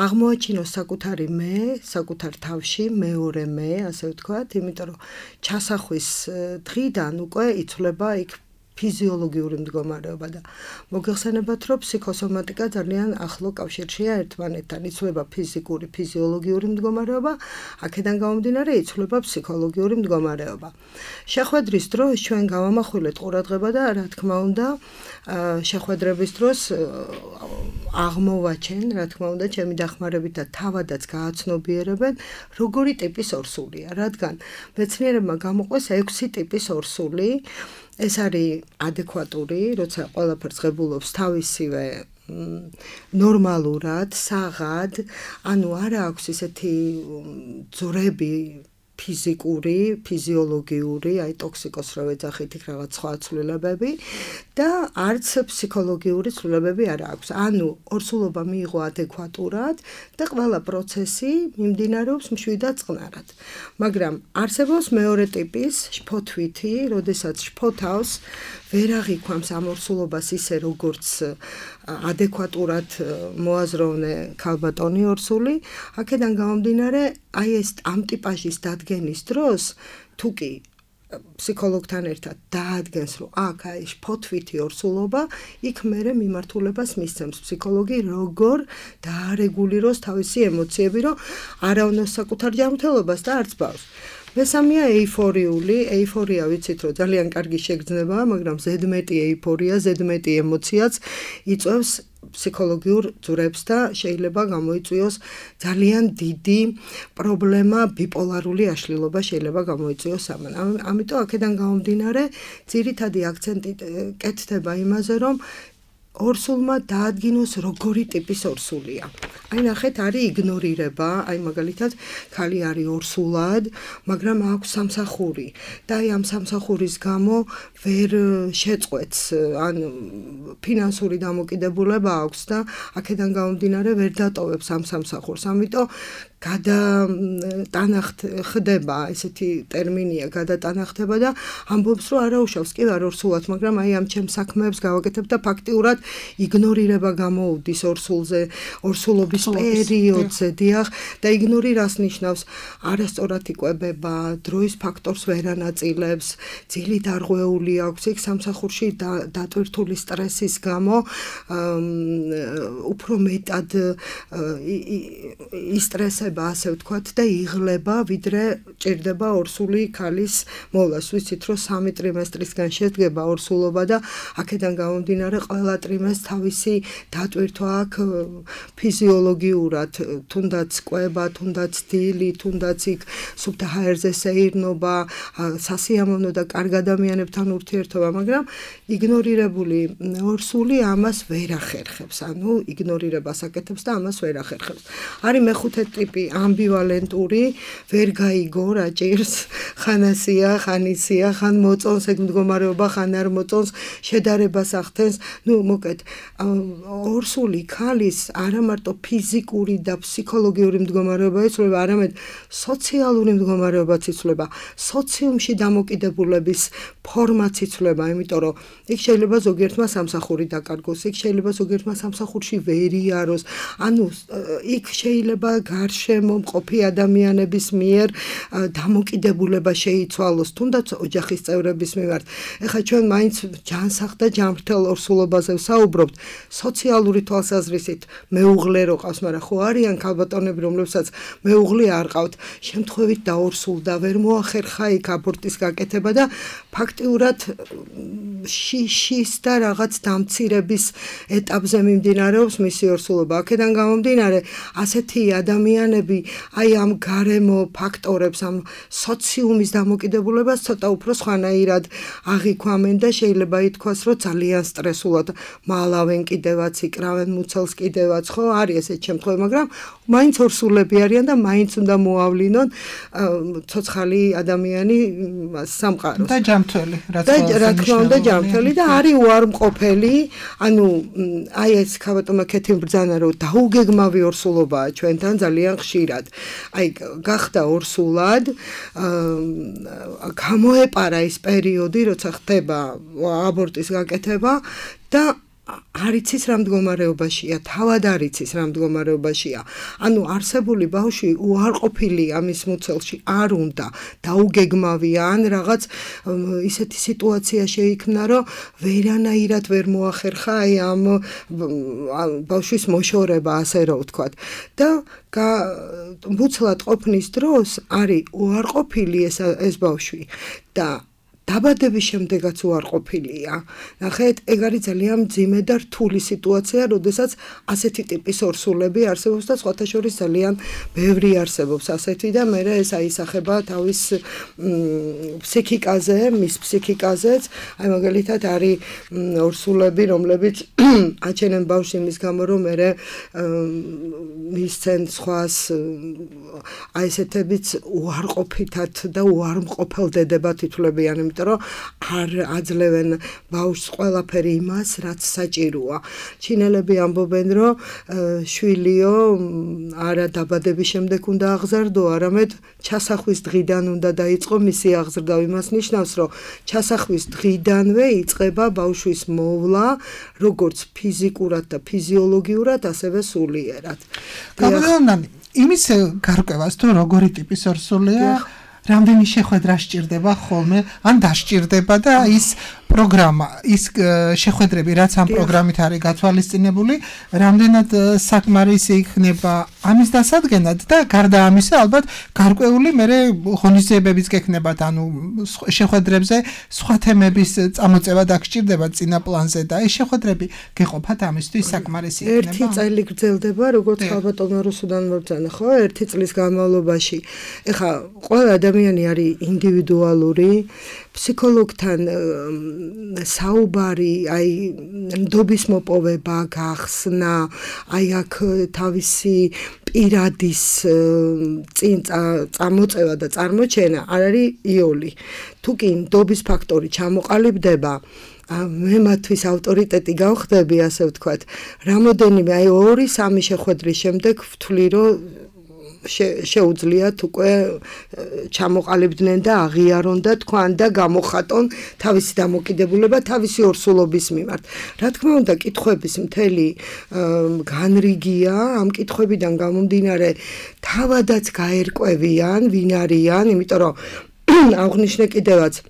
აღმოაჩინოს საკუთარი მე, საკუთარ თავში, მეორე მე, ასე ვთქვათ, იმიტომ რომ ჩასახვის დღიდან უკვე იცვლება იქ ფიზიოლოგიური მდგომარეობა და მოგეხსენებათ, რომ ფსიქოსომატიკა ძალიან ახლო კავშირშია ერთმანეთთან. იცვლება ფიზიკური, ფიზიოლოგიური მდგომარეობა, აქედან გამომდინარე იცვლება ფსიქოლოგიური მდგომარეობა. შეხვედრის დროს ჩვენ გავამახვილეთ ყურადღება და რა თქმა უნდა, შეხვედრების დროს აღმოვაჩენ, რა თქმა უნდა, ჩემი დახმარებით და თავადაც გააცნობიერებენ, როგორი ტიპის ორსულია, რადგან მეცნიერებმა გამოყვეს ექვსი ტიპის ორსული. ეს არის ადეკვატური, როცა ყველაფერს ღებულობს თავისივე ნორმალურად, საღად, ანუ არა აქვს ესეთი ძვრები ფიზიკური, ფიზიოლოგიური, აი ტოქსიკოს რო ეძახით იქ რაღაც სხვა ცვლილებები და არც ფსიქოლოგიური ცვლილებები არ აქვს. ანუ ორსულობა მიიღო ადეკვატურად და ყველა პროცესი მიმდინარეობს მშვიდად წყნარად. მაგრამ არსებობს მეორე ტიპის შფოთვითი, როდესაც შფოთავს ვერ აღიქვამს ამ ორსულობას ისე როგორც ადეკვატურად მოაზროვნე ქალბატონი ორსული, აქედან გამომდინარე, აი ეს ამ ტიპაჟის დადგენის დროს თუ კი ფსიქოლოგთან ერთად დაადგენს, რომ აქ აი შფოთვითი ორსულობა, იქ მერე მიმართულებას მისცემს ფსიქოლოგი, როგორ დაარეგულიროს თავისი ემოციები, რომ არ ავნოს საკუთარ ჯანმრთელობას და არც ბავშვს. მესამეა ეიფორიული, ეიფორია ვიცით, რომ ძალიან კარგი შეგრძნებაა, მაგრამ ზედმეტი ეიფორია, ზედმეტი ემოციაც იწვევს ფსიქოლოგიურ ძვრებს და შეიძლება გამოიწვიოს ძალიან დიდი პრობლემა, ბიპოლარული აშლილობა შეიძლება გამოიწვიოს ამან. ამიტომ აქედან გამომდინარე, ძირითადი აქცენტი კეთდება იმაზე, რომ ორსულმა დაადგინოს როგორი ტიპის ორსულია. აი ნახეთ, არის იგნორირება, აი მაგალითად, ქალი არის ორსულად, მაგრამ აქვს სამსახური და აი ამ სამსახურის გამო ვერ შეწყვეტს, ან ფინანსური დამოკიდებულება აქვს და აქედან გამომდინარე ვერ დატოვებს ამ სამსახურს. ამიტომ გადატანახთ ხდება, ესეთი ტერმინია გადატანახდება და ამბობს, რომ არაუშავს კი ვარ ორსულად, მაგრამ აი ამ ჩემ საქმეებს გავაკეთებ და ფაქტიურად იგნორირება გამოუდის ორსულზე, ორსულობის პერიოდზე, დიახ, და იგნორირებას ნიშნავს არასწორად იკვებება, დროის ფაქტორს ვერ ანაწილებს, ძილი დარღვეული აქვს, იქ სამსახურში დატვირთული სტრესის გამო უფრო მეტად ისტრესება, ასე ვთქვათ, და იღლება, ვიდრე ჭირდება ორსული ქალის მოვლას. ვიცით, რომ სამი ტრიმესტრისგან შედგება ორსულობა და აქედან გამომდინარე ყველა ტრიმესტრს თავისი დატვირთვა აქვს ფიზიოლოგიურად, თუნდაც კვება, თუნდაც დილი, თუნდაც იქ სუფთა ჰაერზე სეირნობა, სასიამოვნო და კარგ ადამიანებთან ურთიერთობა, მაგრამ იგნორირებული ორსული ამას ვერ ახერხებს, ანუ იგნორირებას აკეთებს და ამას ვერ ახერხებს. არის მეხუთე ტიპი ამბივალენტური, ვერ გაიგო რა ჭირს, ხან ასია, ხან იცია, ხან მოწონს ეგ მდგომარეობა, ხან არ მოწონს, შედარებას ახდენს. ნუ მოკეთ, ორსული ქალის არა მარტო ფიზიკური და ფსიქოლოგიური მდგომარეობა იცვლება, არამედ სოციალური მდგომარეობაც იცვლება, სოციუმში დამოკიდებულების ფორმაც იცვლება, იმიტომ რომ იქ შეიძლება ზოგიერთმა სამსახური დაკარგოს, იქ შეიძლება ზოგიერთმა სამსახურში ვერ იაროს, ანუ იქ შეიძლება გარშემო მყოფი ადამიანების მიერ დამოკიდებულება შეიცვალოს, თუნდაც ოჯახის წევრების მიმართ. ეხლა ჩვენ მაინც ჯანსაღ და ჯანმრთელ ორსულობაზე ვსაუბრობთ, სოციალური თვალსაზრისით მეუღლე რო ყავს, მაგრამ ხო არიან ქალბატონები, რომლებსაც მეუღლე არ ყავთ, შემთხვევით დაორსულდა, ვერ მოახერხა იქ აბორტის გაკეთება და ფაქტიურად შიშის და რაღაც დამცირების ეტაპზე მიმდინარეობს მისი ორსულობა. აქედან გამომდინარე, ასეთი ადამიანები აი ამ გარემო ფაქტორებს, ამ სოციუმის დამოკიდებულებას ცოტა უფრო სხვანაირად აღიქვამენ და შეიძლება ითქვას, რომ ძალიან სტრესულად მალავენ კიდევაც, იკრავენ მუცელს კიდევაც, ხო, არის ესეთი შემთხვევა, მაგრამ მაინც ორსულები არიან და მაინც უნდა მოავლინონ ცოცხალი ადამიანი სამყაროს. და ჯანმრთელი, რა თქმა უნდა, ჯანმრთელი და არის უარმყოფელი, ანუ აი ეს ქალბატონმა ქეთი ბრძანა, რომ დაუგეგმავი ორსულობაა ჩვენთან ძალიან ხშირად. აი გახდა ორსულად, გამოეპარა ის პერიოდი, როცა ხდება აბორტის გაკეთება და არ იცის რა მდგომარეობაშია, თავად არ იცის რა მდგომარეობაშია. ანუ არსებული ბავშვი უარყოფილია მის მუცელში, არ უნდა დაუგეგმავია, ან რაღაც ისეთი სიტუაცია შეიქმნა, რომ ვერანაირად ვერ მოახერხა აი ამ ბავშვის მოშორება, ასე რომ ვთქვათ. და მუცლად ყოფნის დროს არის უარყოფილი ეს ეს ბავშვი და დაბადების შემდეგაც უარყოფილია. ნახეთ, ეგ არის ძალიან მძიმე და რთული სიტუაცია, როდესაც ასეთი ტიპის ორსულები არსებობს და სხვათა შორის ძალიან ბევრი არსებობს ასეთი და მე ეს აისახება თავის ფსიქიკაზე, მის ფსიქიკაზეც. აი მაგალითად არის ორსულები, რომლებიც აჩენენ ბავშვს იმის გამო, რომ მე მისცენ სხვას აი ესეთებიც უარყოფითად და უარმყოფელდებათ ითვლებიან, იმიტომ რომ არ აძლევენ ბავშვს ყველაფერი იმას, რაც საჭიროა. ჩინელები ამბობენ, რომ შვილიო არა დაბადების შემდეგ უნდა აღზარდო, არამედ ჩასახვის დღიდან უნდა დაიწყო მისი აღზრდა. იმას ნიშნავს, რომ ჩასახვის დღიდანვე იწყება ბავშვის მოვლა, როგორც ფიზიკურად და ფიზიოლოგიურად, ასევე სულიერად. გამოდანანი, იმის გარკვევას თუ როგორი ტიპის ორსულია, რამდენი შეხვედრა სჭირდება ხოლმე, ან დასჭირდება და ის პროგრამა, ის შეხვედრები, რაც ამ პროგრამით არის გათვალისწინებული, რამდენად საკმარისი იქნება ამის დასადგენად და გარდა ამისა, ალბათ გარკვეული მერე ღონისძიებებიც გექნებათ, ანუ შეხვედრებზე სხვა თემების წამოწევა დაგჭირდება წინა პლანზე და ეს შეხვედრები გეყოფათ ამისთვის საკმარისი იქნება. ერთი წელი გრძელდება, როგორც ხალბატონო რუსუდან მორწანა, ხო, ერთი წლის განმავლობაში. ეხლა ყველა ადამიანი არის ინდივიდუალური, ფსიქოლოგთან საუბარი, აი ნდობის მოპოვება, გახსნა, აი აქ თავისი პირადის წინ წამოწევა და წარმოჩენა არ არის იოლი. თუ კი ნდობის ფაქტორი ჩამოყალიბდება, მე მათთვის ავტორიტეტი გავხდები, ასე ვთქვათ. რამოდენიმე, აი ორი სამი შეხვედრის შემდეგ ვთვლი, რომ შეუძლიათ უკვე ჩამოყალიბდნენ და აღიარონ და თქვან და გამოხატონ თავისი დამოკიდებულება თავისი ორსულობის მიმართ. რა თქმა უნდა, კითხვების მთელი განრიგია, ამ კითხვებიდან გამომდინარე თავადაც გაერკვევიან, ვინ არიან, იმიტომ რომ აღნიშნე კიდევაც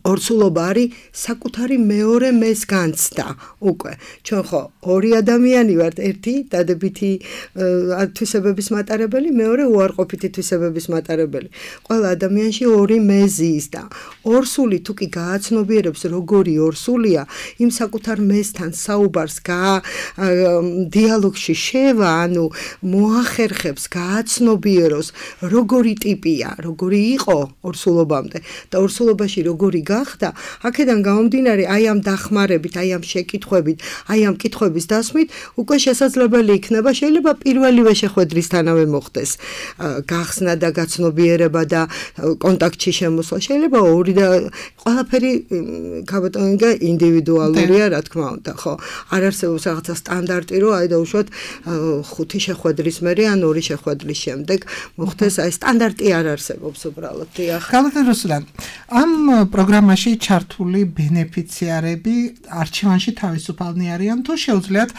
ორსულობა არის საკუთარი მეორე მეს განცდა უკვე. ჩვენ ხო ორი ადამიანი ვართ, ერთი დადებითი თვისებების მატარებელი, მეორე უარყოფითი თვისებების მატარებელი. ყველა ადამიანში ორი მეზი ის და ორსული თუ კი გააცნობიერებს როგორი ორსულია, იმ საკუთარ მესთან საუბარს დიალოგში შევა, ანუ მოახერხებს, გააცნობიეროს, როგორი ტიპია, როგორი იყო ორსულობამდე და ორსულობაში როგორი გახდა, აქედან გამომდინარე, აი ამ დახმარებით, აი ამ შეკითხვებით, აი ამ კითხვების დასმით, უკვე შესაძლებელი იქნება, შეიძლება პირველივე შეხვედრისთანავე მოხდეს გახსნა და გაცნობიერება და კონტაქტში შემოსვლა, შეიძლება ორი და ყველაფერი ქაბატონინგა ინდივიდუალურია, რა თქმა უნდა, ხო. არ არსებობს რაღაცა სტანდარტი, რომ აი დაუშვათ ხუთი შეხვედრის მერე ან ორი შეხვედრის შემდეგ მოხდეს, აი სტანდარტი არ არსებობს უბრალოდ. დიახ. ქაბატონ რუსლან, ამ პროგრამაში ჩართული ბენეფიციარები არჩევანში თავისუფალნი არიან თუ შეუძლიათ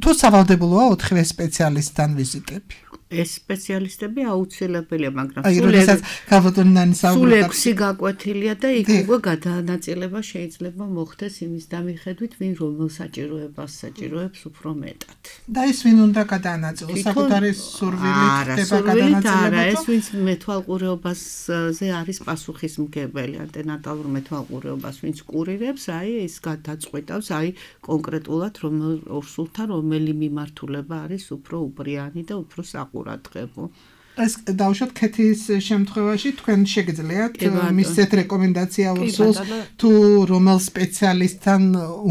თუ სავალდებულოა ოთხივე სპეციალისტთან ვიზიტები? ეს სპეციალისტები აუცილებელია, მაგრამ სულ ექვსი გაკვეთილია და იქ უკვე გადანაწილება შეიძლება მოხდეს იმის დამიხედვით, ვინ რომელ საჭიროებას საჭიროებს უფრო მეტად. და ის ვინ უნდა გადაანაწილოს? საკუთარი სურვილით ხდება გადანაწილება? არა, ეს ვინც მეთვალყურეობაზე არის პასუხისმგებელი, ანტენატალურ მეთვალყურეობას ვინც კურირებს, აი ეს გადაწყვეტავს, აი კონკრეტულად რომელ ორსულთან რომელი მიმართულება არის უფრო უბრიანი და უფრო საყურებელი. ეს დავუშვათ ქეთის შემთხვევაში თქვენ შეგიძლიათ მისცეთ რეკომენდაცია ორსულს თუ რომელ სპეციალისტთან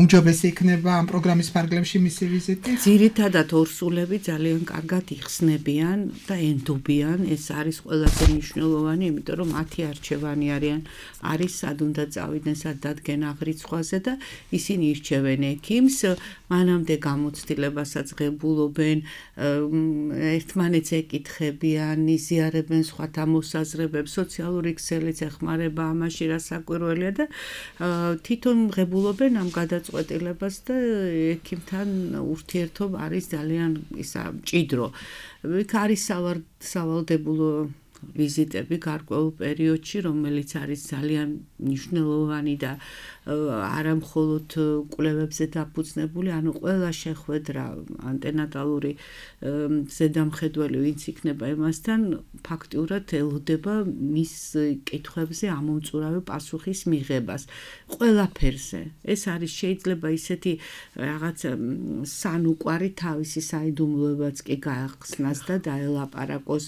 უმჯობესი იქნება ამ პროგრამის ფარგლებში მისი ვიზიტი? ძირითადად ორსულები ძალიან კარგად იხსნებიან და ენდობიან, ეს არის ყველაზე მნიშვნელოვანი, იმიტომ რომ მათი არჩევანი არიან, არის სად უნდა წავიდნენ, სად დადგენ აღრიცხვაზე და ისინი ირჩევენ ექიმს, მანამდე გამოცდილებასაც ღებულობენ, ერთმანეთს ეკითხებიან არიან, იზიარებენ სხვათა მოსაზრებებს, სოციალური ქსელიც ეხმარება ამაში, რა საკვირველია და თვითონ ღებულობენ ამ გადაწყვეტილებას და ექიმთან ურთიერთობა არის ძალიან ისა მჭიდრო. იქ არის სავალდებულო ვიზიტები გარკვეულ პერიოდში, რომელიც არის ძალიან მნიშვნელოვანი და არა მხოლოდ კვლევებზე დაფუძნებული, ანუ ყველა შეხვედრა ანტენატალური ზედამხედველი ვინც იქნება იმასთან ფაქტიურად ელოდება მის კითხვებზე ამომწურავი პასუხის მიღებას ყველაფერზე. ეს არის შეიძლება ისეთი რაღაც სანუკვარი თავისი საიდუმლოებაც კი გაახსნას და დაელაპარაკოს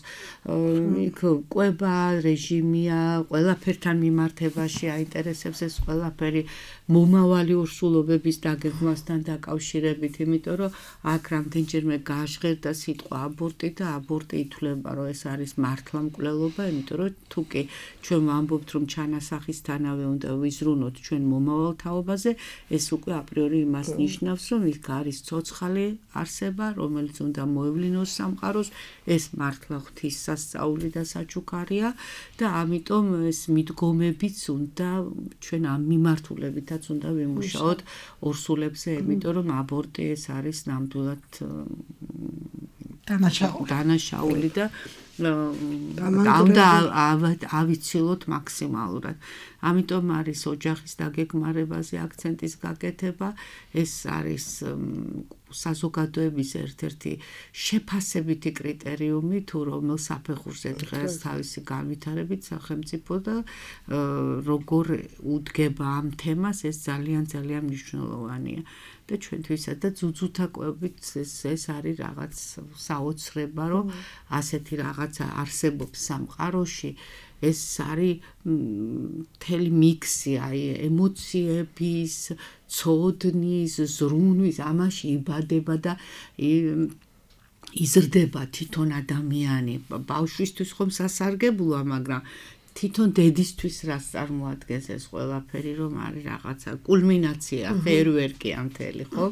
იქ კვება რეჟიმია, ყველაფერთან მიმართებაში აინტერესებს ეს ყველაფერი მომავალი ურსულობების დაგეგმვასთან დაკავშირებით, იმიტომ რომ აქ რამდენჯერმე გაჟღერდა სიტყვა აბორტი და აბორტი ითვლება, რომ ეს არის მართლა მკვლელობა, იმიტომ რომ თუ კი ჩვენ ვამბობთ, რომ ჩანასახისთანავე უნდა ვიზრუნოთ ჩვენ მომავალ თაობაზე, ეს უკვე აპრიორი იმას ნიშნავს, რომ იქ არის ცოცხალი არსება, რომელიც უნდა მოევლინოს სამყაროს, ეს მართლა ღვთისასწაული და საჩუქარია და ამიტომ ეს მიდგომებიც უნდა ჩვენ ამ მიმართულებითაც უნდა ვიმუშაოთ ორსულებზე, იმიტომ რომ აბორტი ეს არის ნამდვილად დანაშაული და უნდა ავიცილოთ მაქსიმალურად. ამიტომ არის ოჯახის დაგეგმარებაზე აქცენტის გაკეთება, ეს არის საზოგადოების ერთ-ერთი შეფასებითი კრიტერიუმი, თუ რომელ საფეხურზე დღეს თავისი განვითარებით სახელმწიფო და როგორ უდგება ამ თემას, ეს ძალიან ძალიან მნიშვნელოვანია. და ჩვენთვისაც და ძუძუთა კვებით ეს ეს არის რაღაც საოცრება, რომ ასეთი რაღაცა არსებობს სამყაროში. ეს არის მთელი მიქსი, აი ემოციების, ცოდნის, ზრუნვის, ამაში იბადება და იზრდება თვითონ ადამიანი. ბავშვისთვის ხომ სასარგებლოა, მაგრამ თვითონ დედისთვის რას წარმოადგენს ეს ყველაფერი, რომ არის რაღაცა კულმინაცია, ფეირვერკი ამ მთელი, ხო?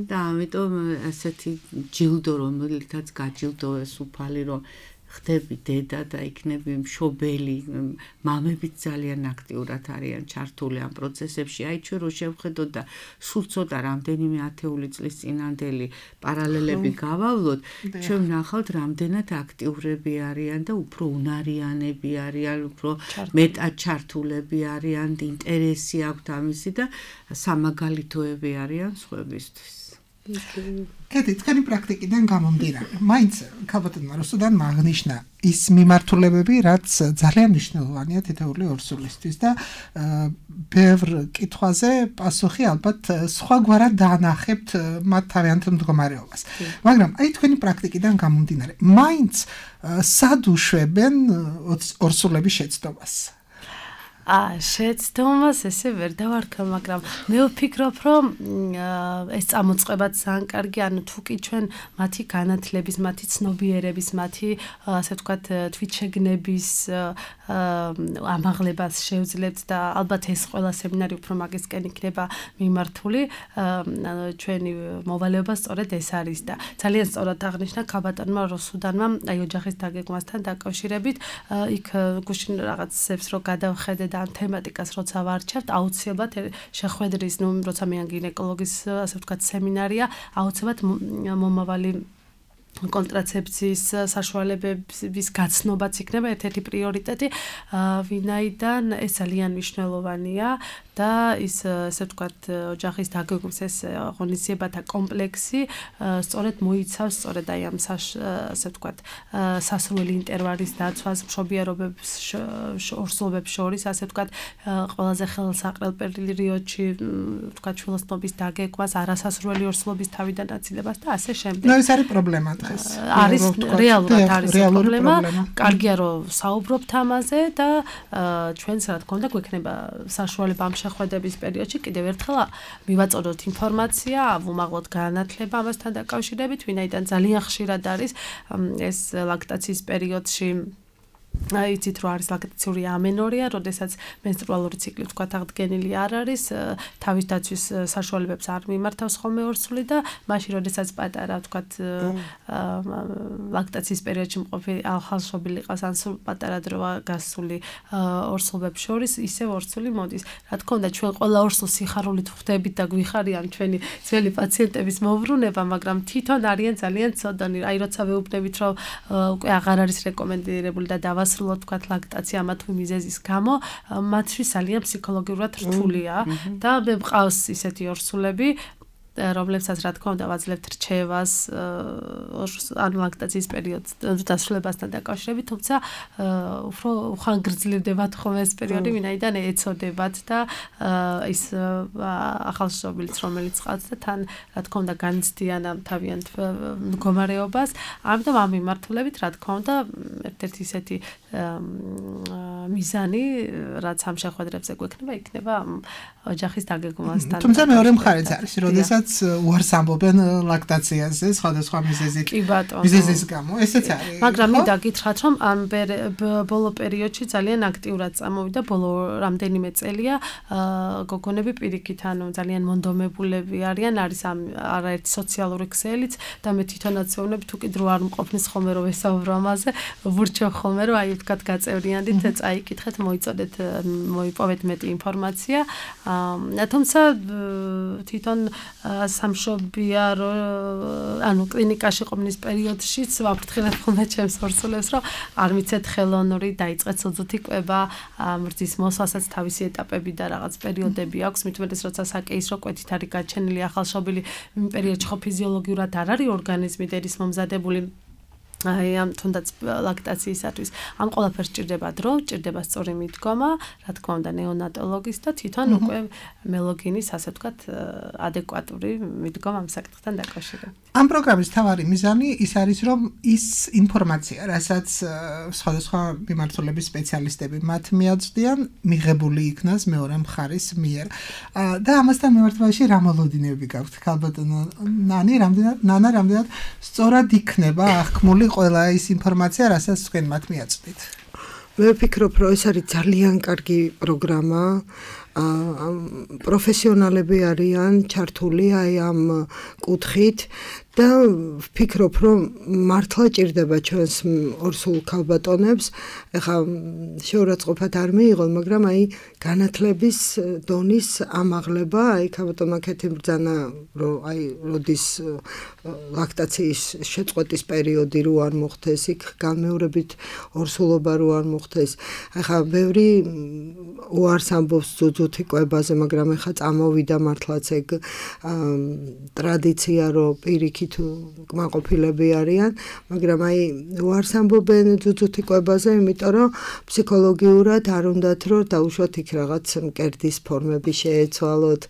და ამიტომ ასეთი ჯილდო, რომელთაც გაჯილდოვეს უფალი, რომ ხდები დედა და იქნები მშობელი, მამებიც ძალიან აქტიურად არიან ჩართული ამ პროცესებში. აი ჩვენ რო შევხედოთ და სულ ცოტა რამდენიმე ათეული წლის წინანდელი პარალელები გავავლოთ, ჩვენ ვნახავთ რამდენად აქტიურები არიან და უფრო უნარიანები არიან, უფრო მეტად ჩართულები არიან, ინტერესი აქვთ ამისი და სამაგალითოები არიან სხვებისთვის. კეთი, თქვენი პრაქტიკიდან გამომდინარე, მაინც ქალბატონმა რუსუდანმა აღნიშნა ის მიმართულებები, რაც ძალიან მნიშვნელოვანია თითოეული ორსულისთვის და ბევრ კითხვაზე პასუხი ალბათ სხვაგვარად დაანახებთ მათ თავიანთ მდგომარეობას. მაგრამ აი თქვენი პრაქტიკიდან გამომდინარე, მაინც სად უშვებენ ორსულების შეცდომას? აა შეცდომას ესე ვერ დავარქვა, მაგრამ მე ვფიქრობ, რომ ეს წამოწყებაც ძალიან კარგი, ანუ თუ კი ჩვენ მათი განათლების, მათი ცნობიერების, მათი ასე ვთქვათ თვითშეგნების ამაღლებას შევძლებთ და ალბათ ეს ყველა სემინარი უფრო მაგისკენ იქნება მიმართული, ჩვენი მოვალეობა სწორედ ეს არის და ძალიან სწორად აღნიშნა ქალბატონმა რუსუდანმა აი ოჯახის დაგეგმვასთან დაკავშირებით, იქ გუშინ რაღაცებს რო გადავხედე ამ თემატიკას როცა ვარჩევთ, აუცილებლად შეხვედრის, ნუ როცა მე გინეკოლოგის ასე ვთქვათ სემინარია, აუცილებლად მომავალი კონტრაცეფციის საშუალებების გაცნობაც იქნება ერთ-ერთი პრიორიტეტი, ვინაიდან ეს ძალიან მნიშვნელოვანია და ის ასე ვთქვათ ოჯახის დაგეგმვის ეს ღონისძიებათა კომპლექსი სწორედ მოიცავს სწორედ აი ამ ასე ვთქვათ სასრული ინტერვალის დაცვას, მშობიარობებს ორსულობებს შორის ასე ვთქვათ ყველაზე ხელსაყრელ პერიოდში ვთქვათ შვილოსნობის დაგეგმვას, არასასრული ორსულობის თავიდან აცილებას და ასე შემდეგ. ნუ ეს არის პრობლემა. არის რეალურად არის პრობლემა. კარგია რომ საუბრობთ ამაზე და ჩვენც რა თქმა უნდა გვექნება საშუალება ამ შეხვედრების პერიოდში კიდევ ერთხელ მივაწოდოთ ინფორმაცია, ვუმაღლოთ განათლება ამასთან დაკავშირებით, ვინაიდან ძალიან ხშირად არის ეს ლაქტაციის პერიოდში იცით რომ არის ლაქტაციური ამენორია, როდესაც მენსტრუალური ციკლი თქვათ აღდგენილი არ არის, თავის დაცვის საშუალებებს არ მიმართავს ხოლმე ორსული და მაშინ როდესაც პატარა თქვათ ლაქტაციის პერიოდში მყოფი ახალშობილი ყავს ან სულ პატარა დროა გასული ორსულებს შორის, ისევ ორსული მოდის. Რა თქმა უნდა, ჩვენ ყველა ორსულს სიხარულით ხვდებით და გვიხარიან ჩვენი ძველი პაციენტების მოვრუნება, მაგრამ თვითონ არიან ძალიან ცოდნი. Აი როცა ვეუბნებით რომ უკვე აღარ არის რეკომენდირებული და დავასრულოთ თქვათ ლაქტაცია ამა თუ მიზეზის გამო, მათთვის ძალიან ფსიქოლოგიურად რთულია და მე მყავს ისეთი ორსულები რომლებსაც რა თქმა უნდა ვაძლევთ რჩევას ან ლაქტაციის პერიოდს დასრულებასთან დაკავშირებით, თუმცა უფრო უხანგრძლივდებათ ხოლმე ეს პერიოდი, ვინაიდან ეცოდებათ და ის ახალშობილიც რომელიც ყავს და თან რა თქმა უნდა განიცდიან ამ თავიანთ მდგომარეობას, ამიტომ ამ მიმართულებით რა თქმა უნდა ერთ-ერთი ისეთი მიზანი, რაც ამ შეხვედრებზე გვექნება, იქნება ოჯახის დაგეგმვასთან. თუმცა მეორე მხარეც არის, როდესაც უარს ამბობენ ლაქტაციაზე, სხვადასხვა მიზეზით. მიზეზის გამო, ესეც არის. მაგრამ მინდა გითხრათ, რომ ამ ბოლო პერიოდში ძალიან აქტიურად წამოვიდა, ბოლო რამდენიმე წელია გოგონები პირიქით, ანუ ძალიან მონდომებულები არიან, არის ამ არაერთი სოციალური ქსელიც და მე თვითონაც ვეუბნები, თუ კიდე არ მყოფნის ხოლმე რომ ესაუბრო ამაზე, ვურჩევ ხოლმე რომ აი ვთქვათ გაწევრიანდით, წაიკითხეთ, მოიწოდეთ, მოიპოვეთ მეტი ინფორმაცია. თუმცა თვითონ სამშობია ანუ კლინიკაში ყოფნის პერიოდშიც ვაფრთხილებ ხოლმე ჩემს ორსულებს, რომ არ მიცეთ ხელოვნური დაიწყეთ სუძუთი კვება, მრძის მოსვლასაც თავისი ეტაპები და რაღაც პერიოდები აქვს, მით უმეტეს როცა საკეისრო კვეთით არის გაჩენილი ახალშობილი, იმ პერიოდში ხო ფიზიოლოგიურად არ არის ორგანიზმი დედის მომზადებული აი ამ თუნდაც ლაქტაციისათვის ამ ყველაფერს ჭირდება დრო, ჭირდება სწორი მიდგომა, რა თქმა უნდა ნეონატოლოგის და თვითონ უკვე მელოგინის, ასე ვთქვათ, ადეკვატური მიდგომა ამ საკითხთან დაკავშირებით. ამ პროგრამის თავარი მიზანი ის არის, რომ ის ინფორმაცია, რასაც სხვადასხვა მიმართულების სპეციალისტები მათ მიაწვდიან, მიღებული იქნას მეორე მხარის მიერ. და ამასთან მიმართებაში რა მოლოდინები გაქვთ, ქალბატონო ნანი, რამდენად ნანა, რამდენად სწორად იქნება აღქმული ყველა ის ინფორმაცია, რასაც თქვენ მათ მიაწვდით. მე ვფიქრობ, რომ ეს არის ძალიან კარგი პროგრამა. პროფესიონალები არიან ჩართული აი ამ კუთხით და ვფიქრობ, რომ მართლა ჭირდება ჩვენს ორსულ ქალბატონებს, ეხლა შეურაცხყოფად არ მიიღონ, მაგრამ აი განათლების დონის ამაღლება, აი ქალბატონმა ქეთი ბრძანა, რომ აი როდის ლაქტაციის შეწყვეტის პერიოდი რო არ მოხდეს, იქ განმეორებით ორსულობა რო არ მოხდეს. ეხლა ბევრი უარს ამბობს ძუძუთი კვებაზე, მაგრამ ეხლა წამოვიდა მართლაც ეგ ტრადიცია, რომ პირიქით კმაყოფილები არიან, მაგრამ აი უარს ამბობენ ძუძუთი კვებაზე, იმიტომ რომ ფსიქოლოგიურად არ უნდათ რომ დაუშვათ იქ რაღაც მკერდის ფორმები შეეცვალოთ.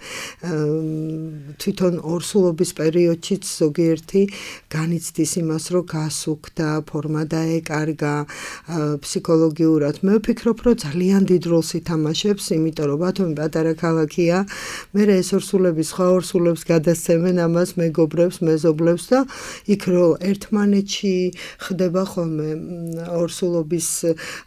თვითონ ორსულობის პერიოდშიც ზოგიერთი განიცდის იმას, რომ გასუქდა, ფორმა დაეკარგა ფსიქოლოგიურად. მე ვფიქრობ, რომ ძალიან დიდ როლს ითამაშებს, იმიტომ რომ ბათუმი პატარა ქალაქია, მე ეს ორსულები სხვა ორსულებს გადასცემენ ამას მეგობრებს, მეზობლებს და იქ რომ ერთმანეთში ხდება ხოლმე ორსულობის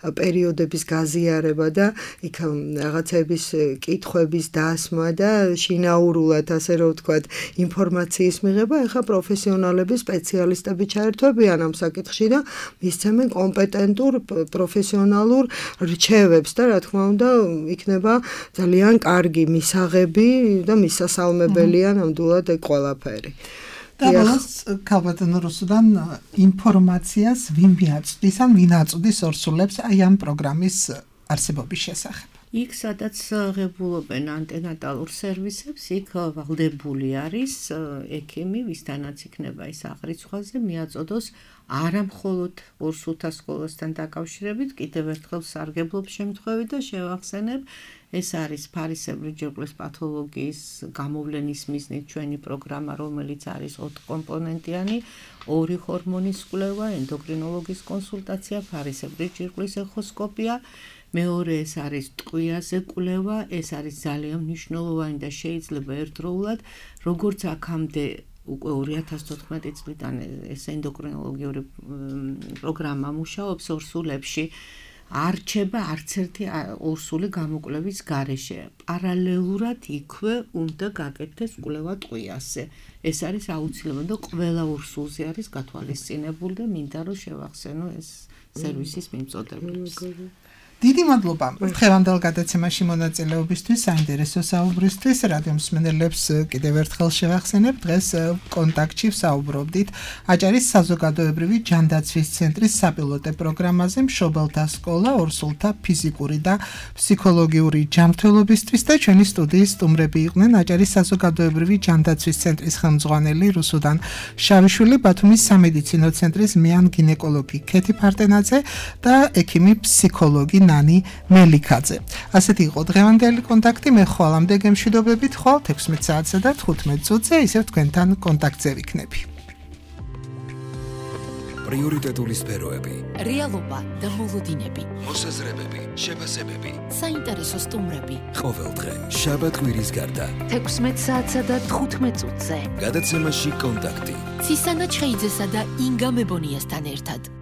პერიოდების გაზიარება და იქ რაღაცების კითხვების დასმა და შინაურულად ასე რომ ვთქვათ ინფორმაციის მიღება, ეხა პროფესიონალები, სპეციალისტები ჩაერთვებიან ამ საკითხში და მისცემენ კომპეტენტურ პროფესიონალურ რჩევებს და რა თქმა უნდა იქნება ძალიან კარგი მისაღები და მისასალმებელია ნამდვილად ეგ ყველაფერი. და ბოლოს ქალბატონო რუსუდან ინფორმაციას ვინ მიაწვდის ან ვინ აწვდის ორსულებს აი ამ პროგრამის არსებობის შესახებ? იქ სადაც ღებულობენ ანტენატალურ სერვისებს, იქ ვალდებული არის ექიმი, ვისთანაც იქნება ის აღრიცხვაზე, მიაწოდოს არა მხოლოდ ორსულთა სკოლასთან დაკავშირებით, კიდევ ერთხელ სარგებლობს შემთხვევით და შევახსენებ, ეს არის ფარისებრი ჯირკვლის პათოლოგიის გამოვლენის მიზნით ჩვენი პროგრამა, რომელიც არის ოთხკომპონენტიანი, ორი ჰორმონის კვლევა, ენდოკრინოლოგის კონსულტაცია, ფარისებრი ჯირკვლის ეხოსკოპია, მეორე ეს არის ტყვიაზე კვლევა, ეს არის ძალიან მნიშვნელოვანი და შეიძლება ერთდროულად, როგორც აქამდე უკვე ორი ათას თოთხმეტი წლიდან ეს ენდოკრინოლოგიური პროგრამა მუშაობს ორსულებში. არჩება არც ერთი ორსული გამოკვლევის გარეშე. პარალელურად იქვე უნდა გაკეთდეს კვლევა ტყვიასზე. ეს არის აუცილებელი და ყველა ორსულზე არის გათვალისწინებული და მინდა რომ შევახსენო ეს სერვისის მიმწოდებლებს. დიდი მადლობა დღევანდელ გადაცემაში მონაწილეობისთვის, საინტერესო საუბრისთვის. რადიო მსმენელებს კიდევ ერთხელ შევახსენებ, დღეს კონტაქტში ვსაუბრობდით აჭარის საზოგადოებრივი ჯანდაცვის ცენტრის საპილოტე პროგრამაზე მშობელთა სკოლა ორსულთა ფიზიკური და ფსიქოლოგიური ჯანმრთელობისთვის და ჩვენი სტუდიის სტუმრები იყვნენ აჭარის საზოგადოებრივი ჯანდაცვის ცენტრის ხელმძღვანელი რუსუდან შავიშვილი, ბათუმის სამედიცინო ცენტრის მეან გინეკოლოგი ქეთი ფარტენაძე და ექიმი ფსიქოლოგი ნანი მელიქაძე. ასეთი იყო დღევანდელი კონტაქტი. მე ხვალამდე გემშვიდობებით, ხვალ თექვსმეტ საათსა და თხუთმეტ წუთზე ისევ თქვენთან კონტაქტზე ვიქნები. პრიორიტეტული სფეროები, რეალობა და მოლოდინები, მოსაზრებები, შეფასებები, საინტერესო სტუმრები. ყოველდღე შაბათ კვირის გარდა თექვსმეტ საათსა და თხუთმეტ წუთზე. გადაცემაში კონტაქტი. ცისანა ჩხეიძესა და ინგა მებონიასთან ერთად.